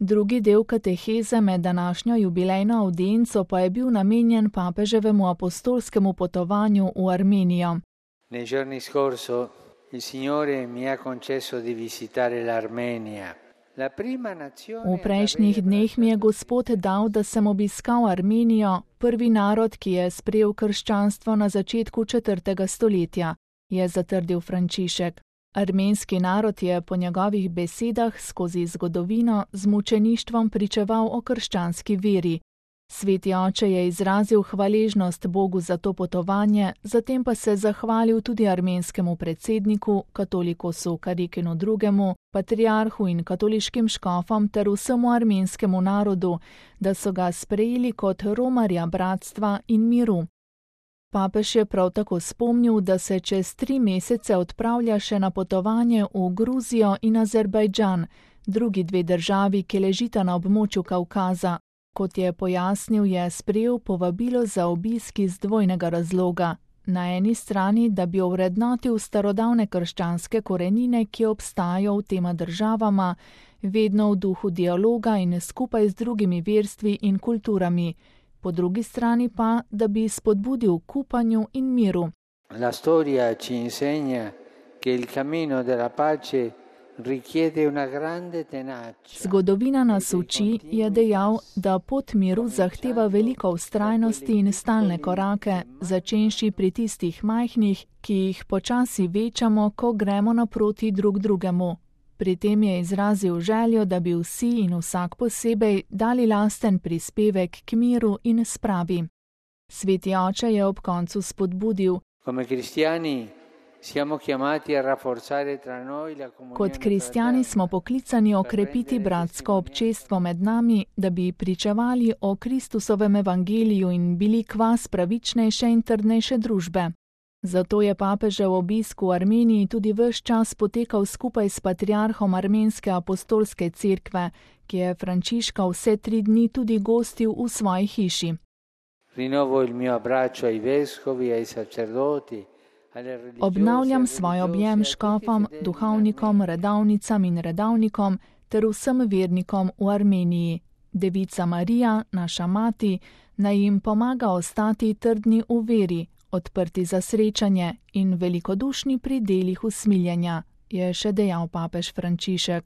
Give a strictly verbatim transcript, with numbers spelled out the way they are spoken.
Drugi del kateheze med današnjo jubilejno avdienco pa je bil namenjen papeževemu apostolskemu potovanju v Armenijo. Nei giorni scorso il Signore mi ha concesso di visitare l'Armenia. La prima nazione. V prejšnjih dneh mi je Gospod dal, da sem obiskal Armenijo, prvi narod, ki je sprejel krščanstvo na začetku četrtega stoletja, je zatrdil Frančišek. Armenski narod je po njegovih besedah skozi zgodovino z mučeništvom pričeval o krščanski veri. Sveti oče je izrazil hvaležnost Bogu za to potovanje, zatem pa se zahvalil tudi armenskemu predsedniku, katolikosu Karikinu drugemu, patriarhu in katoliškim škofom ter vsemu armenskemu narodu, da so ga sprejeli kot romarja bratstva in miru. Papež je prav tako spomnil, da se čez tri mesece odpravlja še na potovanje v Gruzijo in Azerbajdžan, drugi dve državi, ki ležita na območju Kavkaza. Kot je pojasnil, je sprejel povabilo za obisk iz dvojnega razloga. Na eni strani, da bi ovrednotil starodavne krščanske korenine, ki obstajajo v tema državama, vedno v duhu dialoga in skupaj z drugimi verstvi in kulturami. Po drugi strani pa, da bi spodbudil k upanju in miru. La storia ci insegna che il cammino della pace richiede una grande tenacia. Zgodovina nas uči, je dejal, da pot miru zahteva veliko vztrajnosti in stalne korake, začenši pri tistih majhnih, ki jih počasi večamo, ko gremo naproti drug drugemu. Pri tem je izrazil željo, da bi vsi in vsak posebej dali lasten prispevek k miru in spravi. Sveti oče je ob koncu spodbudil: Come cristiani siamo chiamati a rafforzare tra noi la comunione. Kot kristjani smo poklicani okrepiti bratsko občestvo med nami, da bi pričevali o Kristusovem evangeliju in bili kvas pravičnejše in trdnejše družbe. Zato je papežev obisk v Armeniji tudi ves čas potekal skupaj s patriarhom Armenske apostolske cerkve, ki je Frančiška vse tri dni tudi gostil v svoji hiši. Rinnovo il mio abbraccio ai vescovi, ai sacerdoti. Obnavljam svoj objem škofom, duhovnikom, redavnicam in redavnikom ter vsem vernikom v Armeniji. Devica Marija, naša mati, naj jim pomaga ostati trdni v veri, odprti za srečanje in velikodušni pri delih usmiljenja, je še dejal papež Frančišek.